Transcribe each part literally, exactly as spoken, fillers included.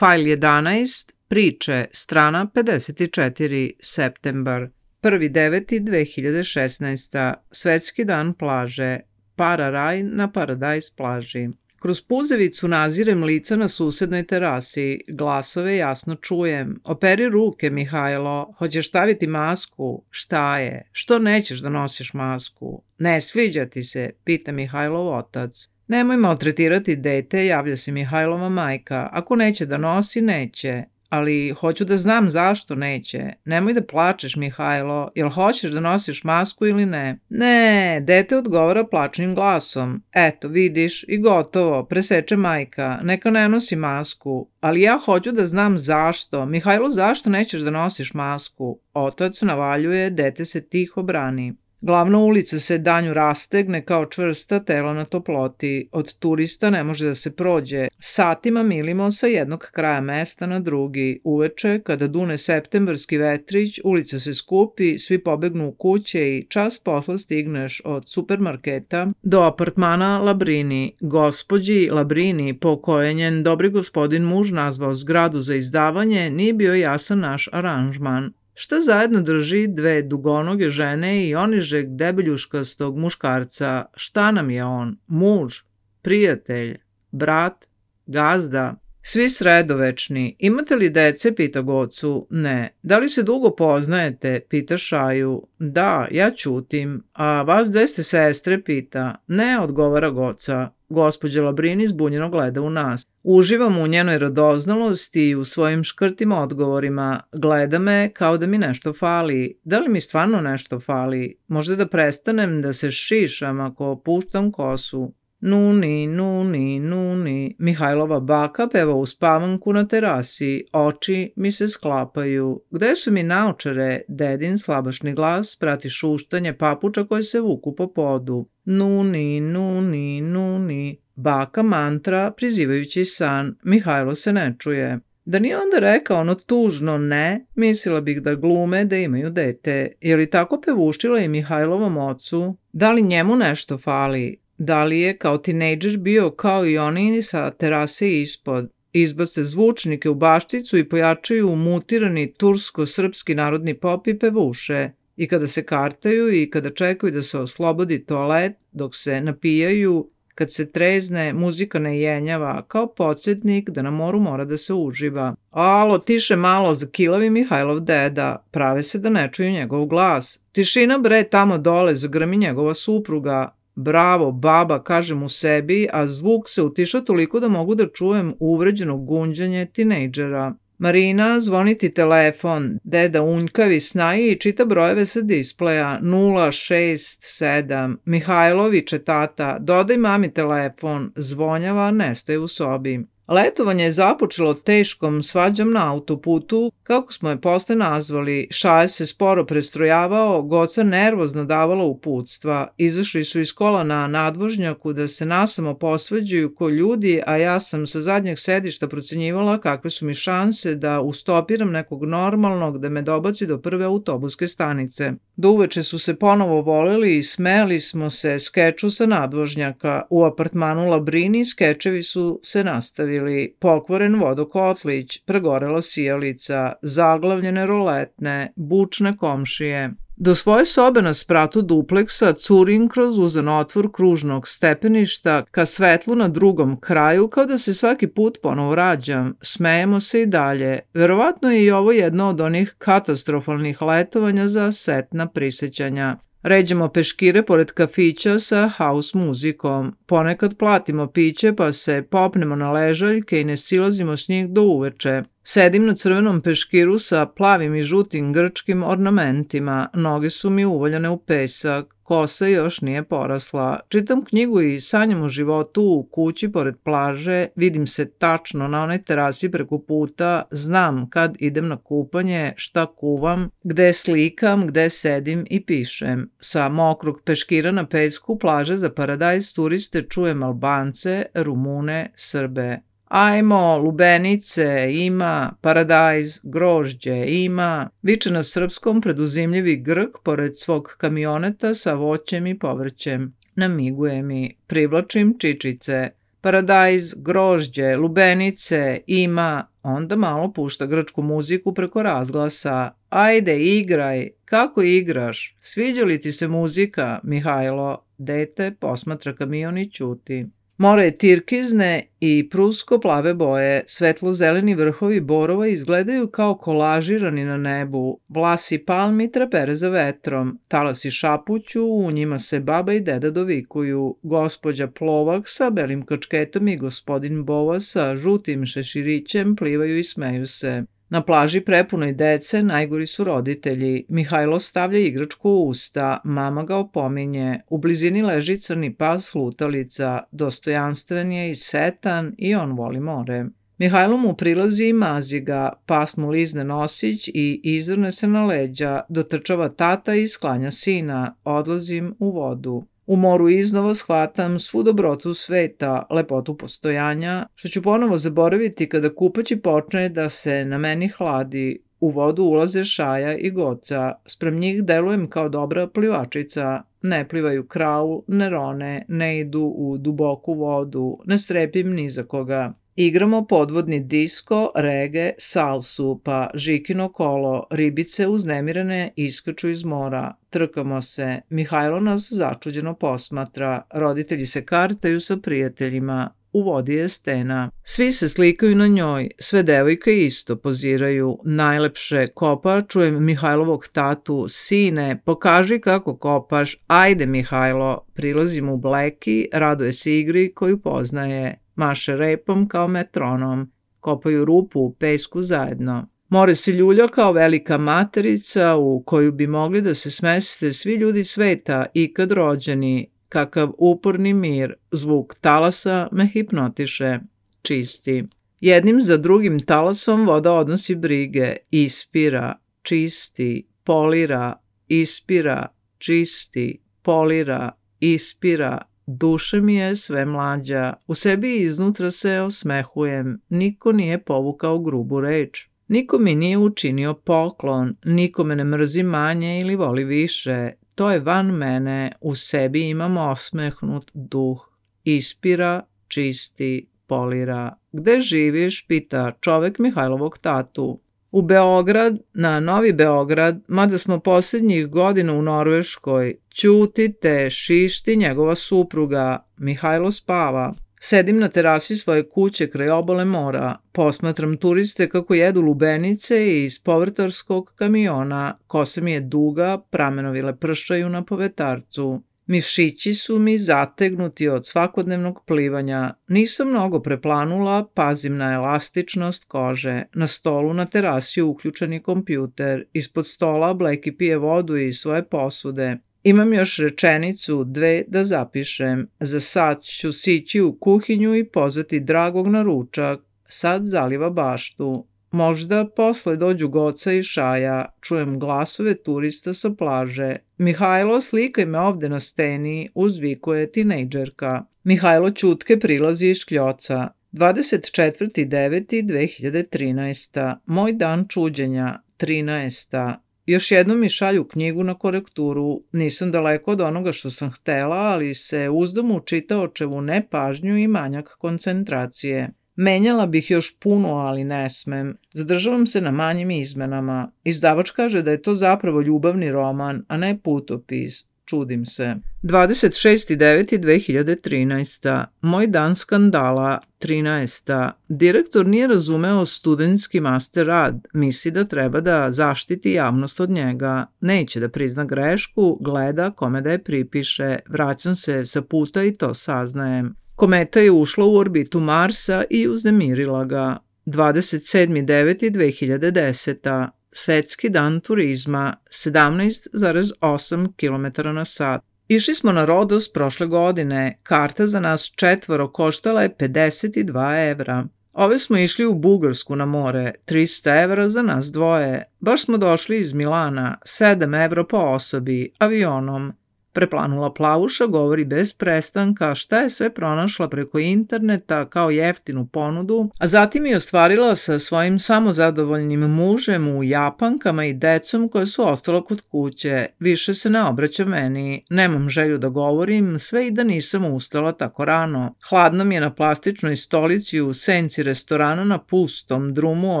Fajl jedanaest, priče, strana pedeset četiri, septembar, prvi deveti dve hiljade šesnaeste. Svetski dan plaže, Para-raj na Paradajz plaži. Kroz puzevicu nazirem lica na susednoj terasi, glasove jasno čujem. Operi ruke, Mihajlo, hoćeš staviti masku? Šta je? Što nećeš da nosiš masku? Ne sviđa ti se, pita Mihajlov otac. Nemoj maltretirati dete, javlja se Mihajlova majka. Ako neće da nosi, neće. Ali hoću da znam zašto neće. Nemoj da plačeš, Mihajlo, jel hoćeš da nosiš masku ili ne? Ne, dete odgovara plačnim glasom. Eto, vidiš, i gotovo, preseče majka, neka ne nosi masku. Ali ja hoću da znam zašto. Mihajlo, zašto nećeš da nosiš masku? Otac navaljuje, dete se tiho brani. Glavna ulica se danju rastegne kao čvrsta tela na toploti. Od turista ne može da se prođe. Satima milimo sa jednog kraja mesta na drugi. Uveče, kada dune septembarski vetrić, ulica se skupi, svi pobegnu u kuće i čas posla stigneš od supermarketa do apartmana Labrini. Gospođi Labrini, po kojoj njen dobri gospodin muž nazvao zgradu za izdavanje, nije bio jasan naš aranžman. Šta zajedno drži dve dugonoge žene i onižeg debeljuškastog muškarca? Šta nam je on? Muž? Prijatelj? Brat? Gazda? Svi sredovečni. Imate li dece, pita Gocu. Ne. Da li se dugo poznajete, pita Šaju. Da, ja ćutim. A vas dve ste sestre, pita. Ne, odgovara Goca. Gospođa Labrini zbunjeno gleda u nas. Uživam u njenoj radoznalosti i u svojim škrtim odgovorima. Gleda me kao da mi nešto fali. Da li mi stvarno nešto fali? Možda da prestanem da se šišam ako puštam kosu. Nuni, nuni, nuni. Mihajlova baka peva u spavanku na terasi. Oči mi se sklapaju. Gde su mi naočare? Dedin slabašni glas prati šuštanje papuča koje se vuku po podu. Nuni, nuni, nuni. Baka mantra prizivajući san. Mihajlo se ne čuje. Da nije onda rekao ono tužno ne, mislila bih da glume da imaju dete. Je li tako pevuštila i Mihajlovom ocu? Da li njemu nešto fali? Da li je kao tinejdžer bio kao i oni sa terase ispod? Izbace zvučnike u bašticu i pojačaju mutirani tursko-srpski narodni pop i pevuše. I kada se kartaju i kada čekaju da se oslobodi toalet, dok se napijaju, kad se trezne, muzika ne jenjava, kao podsjetnik da na moru mora da se uživa. Alo, tiše malo, zakilavi Mihajlov deda, prave se da ne čuju njegov glas. Tišina bre, tamo dole, zagrmi njegova supruga. Bravo, baba, kažem u sebi, a zvuk se utiša toliko da mogu da čujem uvređeno gunđanje tinejdžera. Marina, zvoni ti telefon. Deda unjkavi snaji i čita brojeve sa displeja. nula šest sedam. Mihajloviće tata, dodaj mami telefon. Zvonjava, nestaje u sobi. Letovanje je započelo teškom svađom na autoputu, kako smo je posle nazvali. Šaje se sporo prestrojavao, Goca nervozno davala uputstva. Izašli su iz kola na nadvožnjaku da se nasamo posvađaju ko ljudi, a ja sam sa zadnjeg sedišta procenjivala kakve su mi šanse da ustopiram nekog normalnog da me dobaci do prve autobuske stanice. Do uveče su se ponovo voleli i smeli smo se skeču sa nadvožnjaka. U apartmanu Labrini skečevi su se nastavili. Pokvoren vodokotlić, pregorela sijalica, zaglavljene roletne, bučne komšije. Do svoje sobe na spratu dupleksa curim kroz uzan otvor kružnog stepeništa ka svetlu na drugom kraju, kao da se svaki put ponovo rađam. Smejemo se i dalje. Verovatno je i ovo jedno od onih katastrofalnih letovanja za setna prisećanja. Ređemo peškire pored kafića sa house muzikom. Ponekad platimo piće pa se popnemo na ležaljke i ne silazimo s njih do uveče. Sedim na crvenom peškiru sa plavim i žutim grčkim ornamentima. Noge su mi uvaljane u pesak. Kosa još nije porasla. Čitam knjigu i sanjam o životu u kući pored plaže. Vidim se tačno na onoj terasi preko puta. Znam kad idem na kupanje, šta kuvam, gde slikam, gde sedim i pišem. Sa mokrog peškira na pesku plaže za Paradajz turiste čujem Albance, Rumune, Srbe. Ajmo, lubenice, ima, paradajz, grožđe, ima, viče na srpskom preduzimljivi Grk pored svog kamioneta sa voćem i povrćem. Namiguje mi, privlačim čičice. Paradajz, grožđe, lubenice, ima, onda malo pušta grčku muziku preko razglasa. Ajde, igraj, kako igraš? Sviđa li ti se muzika, Mihajlo? Dete posmatra kamion i ćuti. More je tirkizne i prusko-plave boje, svetlo-zeleni vrhovi borova izgledaju kao kolažirani na nebu, vlasi palmi trepere za vetrom, talasi šapuću, u njima se baba i deda dovikuju, gospođa Plovak sa belim kačketom i gospodin Bova sa žutim šeširićem plivaju i smeju se. Na plaži prepunoj dece najgori su roditelji. Mihajlo stavlja igračku u usta, mama ga opominje. U blizini leži crni pas lutalica, dostojanstven je i setan i on voli more. Mihajlo mu prilazi i mazi ga, pas mu lizne nosić i izvrne se na leđa, dotrčava tata i sklanja sina, odlazim u vodu. U moru iznova shvatam svu dobrotu sveta, lepotu postojanja, što ću ponovo zaboraviti kada kupaći počne da se na meni hladi. U vodu ulaze Šaja i Goca, sprem njih delujem kao dobra plivačica, ne plivaju kraul, ne rone, ne idu u duboku vodu, ne strepim ni za koga. Igramo podvodni disko, rege, salsu, pa žikino kolo, ribice uznemirene iskaču iz mora. Trkamo se, Mihajlo nas začuđeno posmatra, roditelji se kartaju sa prijateljima, u vodi je stena. Svi se slikaju na njoj, sve devojke isto poziraju. Najlepše kopa, čujem Mihajlovog tatu, sine, pokaži kako kopaš, ajde Mihajlo, prilazim u bleki, raduje se igri koju poznaje. Maše repom kao metronom, kopaju rupu u pesku zajedno. More se ljulja kao velika materica u koju bi mogli da se smeste svi ljudi sveta ikad rođeni. Kakav uporni mir, zvuk talasa me hipnotiše, čisti. Jednim za drugim talasom voda odnosi brige, ispira, čisti, polira, ispira, čisti, polira, ispira. Duša mi je sve mlađa, u sebi iznutra se osmehujem, niko nije povukao grubu reč. Niko mi nije učinio poklon, niko me ne mrzi manje ili voli više. To je van mene, u sebi imam osmehnut duh. Ispira, čisti, polira. Gde živiš, pita čovek Mihajlovog tatu. U Beograd, na Novi Beograd, mada smo posljednjih godina u Norveškoj, ćutite, šišti njegova supruga, Mihajlo spava. Sedim na terasi svoje kuće kraj obale mora, posmatram turiste kako jedu lubenice iz povrtarskog kamiona, kosa mi je duga, pramenovi lepršaju na povetarcu. Mišići su mi zategnuti od svakodnevnog plivanja. Nisam mnogo preplanula, pazim na elastičnost kože. Na stolu na terasi uključen je kompjuter. Ispod stola Bleki pije vodu iz svoje posude. Imam još rečenicu, dve da zapišem. Za sad ću sići u kuhinju i pozvati Dragog na ručak. Sad zaliva baštu. Možda posle dođu Goca i Šaja, čujem glasove turista sa plaže. Mihajlo, slikaj me ovde na steni, uzvikuje tinejdžerka. Mihajlo ćutke prilazi iz škljoca. dvadeset četvrti deveti dve hiljade trinaesta. Moj dan čuđenja. trinaesta. Još jednom mi šalju knjigu na korekturu. Nisam daleko od onoga što sam htela, ali se uzdam u čitaočevu nepažnju i manjak koncentracije. Menjala bih još puno, ali ne smem. Zadržavam se na manjim izmenama. Izdavač kaže da je to zapravo ljubavni roman, a ne putopis. Čudim se. dvadeset šesti deveti dve hiljade trinaesta. Moj dan skandala. trinaesta. Direktor nije razumeo studentski master rad. Misli da treba da zaštiti javnost od njega. Neće da prizna grešku, gleda kome da je pripiše. Vraćam se sa puta i to saznajem. Kometa je ušla u orbitu Marsa i uznemirila ga. dvadeset sedmi deveti dve hiljade deseta. Svetski dan turizma, sedamnaest zarez osam kilometara na sat. Išli smo na Rodos prošle godine. Karta za nas četvoro koštala je pedeset dva evra. Ove smo išli u Bugarsku na more, trista evra za nas dvoje. Baš smo došli iz Milana, sedam evra po osobi, avionom. Preplanula Plavuša govori bez prestanka šta je sve pronašla preko interneta kao jeftinu ponudu, a zatim je ostvarila sa svojim samozadovoljnim mužem u Japankama i decom koja su ostala kod kuće. Više se ne obraća meni, nemam želju da govorim, sve i da nisam ustala tako rano. Hladno mi je na plastičnoj stolici u senci restorana na pustom drumu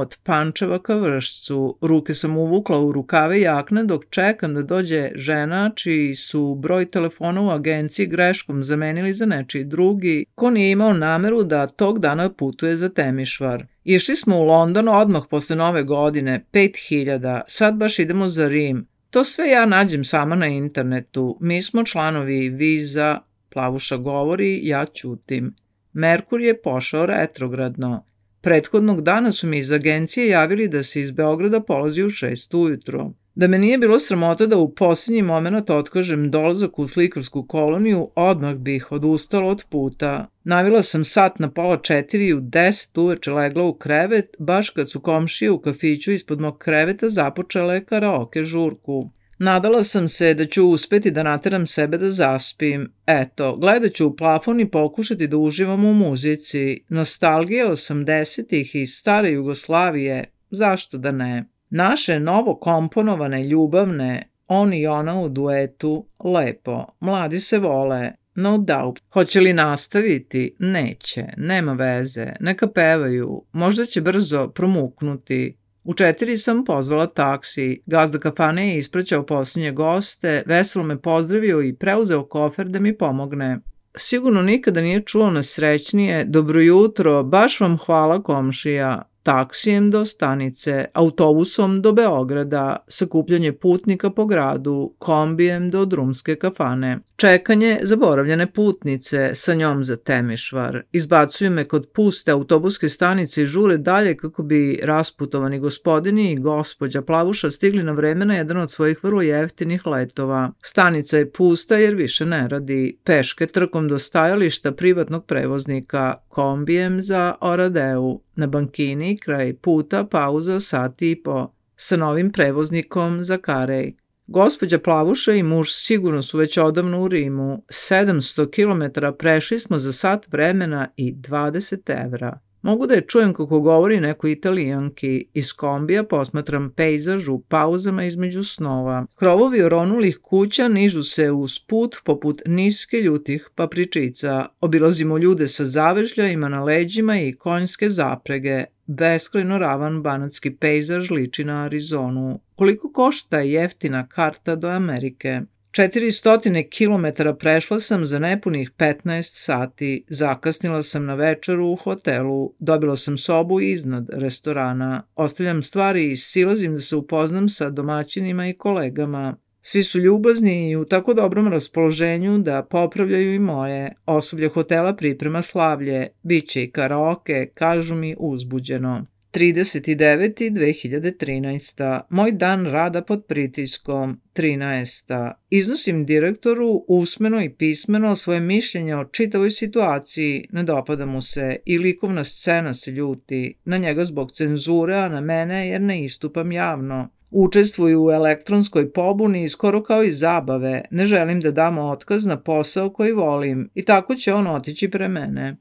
od Pančeva ka Vršcu. Ruke sam uvukla u rukave jakne dok čekam da dođe žena čiji su broj telefona u agenciji greškom zamenili za nečiji drugi, ko nije imao nameru da tog dana putuje za Temišvar. Išli smo u London odmah posle nove godine, pet hiljada, sad baš idemo za Rim. To sve ja nađem sama na internetu, mi smo članovi Viza, Plavuša govori, ja ćutim. Merkur je pošao retrogradno. Prethodnog dana su mi iz agencije javili da se iz Beograda polazi u šest ujutro. Da me nije bilo sramota da u posljednji moment otkažem dolazak u slikarsku koloniju, odmah bih odustala od puta. Navila sam sat na pola četiri i u deset uveče legla u krevet, baš kad su komšije u kafiću ispod mog kreveta započele karaoke žurku. Nadala sam se da ću uspeti da nateram sebe da zaspim. Eto, gledat ću u plafon i pokušati da uživam u muzici. Nostalgija osamdesetih i stare Jugoslavije, zašto da ne? Naše novo komponovane ljubavne, on i ona u duetu, lepo, mladi se vole, no doubt. Hoće li nastaviti? Neće, nema veze, neka pevaju, možda će brzo promuknuti. U četiri sam pozvala taksi, gazda kafane je ispraćao posljednje goste, veselo me pozdravio i preuzeo kofer da mi pomogne. Sigurno nikada nije čuo nesrećnije, dobro jutro, baš vam hvala komšija. Taksijem do stanice, autobusom do Beograda, sakupljanje putnika po gradu, kombijem do drumske kafane. Čekanje zaboravljene putnice, sa njom za Temišvar. Izbacuju me kod puste autobuske stanice i žure dalje kako bi rasputovani gospodini i gospođa Plavuša stigli na vreme na jedan od svojih vrlo jeftinih letova. Stanica je pusta jer više ne radi. Peške trkom do stajališta privatnog prevoznika, kombijem za Oradeu. Na bankini, kraj puta, pauza sat i po. Sa novim prevoznikom za Karej. Gospođa Plavuša i muž sigurno su već odavno u Rimu. sedamsto kilometara prešli smo za sat vremena i dvadeset evra. Mogu da je čujem kako govori neko Italijanki. Iz kombija posmatram pejzaž u pauzama između snova. Krovovi oronulih kuća nižu se uz put poput niske ljutih papričica. Obilazimo ljude sa zavežljajima na leđima i konjske zaprege. Beskrajno ravan banatski pejzaž liči na Arizonu. Koliko košta jeftina karta do Amerike? četiristo kilometara prešla sam za nepunih petnaest sati, zakasnila sam na večeru u hotelu, dobila sam sobu iznad restorana, ostavljam stvari i silazim da se upoznam sa domaćinima i kolegama. Svi su ljubazni i u tako dobrom raspoloženju da popravljaju i moje. Osoblje hotela priprema slavlje, bit će i karaoke, kažu mi uzbuđeno. trideset deveti dve hiljade trinaesta. Moj dan rada pod pritiskom. trinaesta. Iznosim direktoru usmeno i pismeno svoje mišljenje o čitavoj situaciji, ne dopada mu se i likovna scena se ljuti, na njega zbog cenzure, a na mene jer ne istupam javno. Učestvuju u elektronskoj pobuni skoro kao i zabave, ne želim da dam otkaz na posao koji volim i tako će on otići pre mene.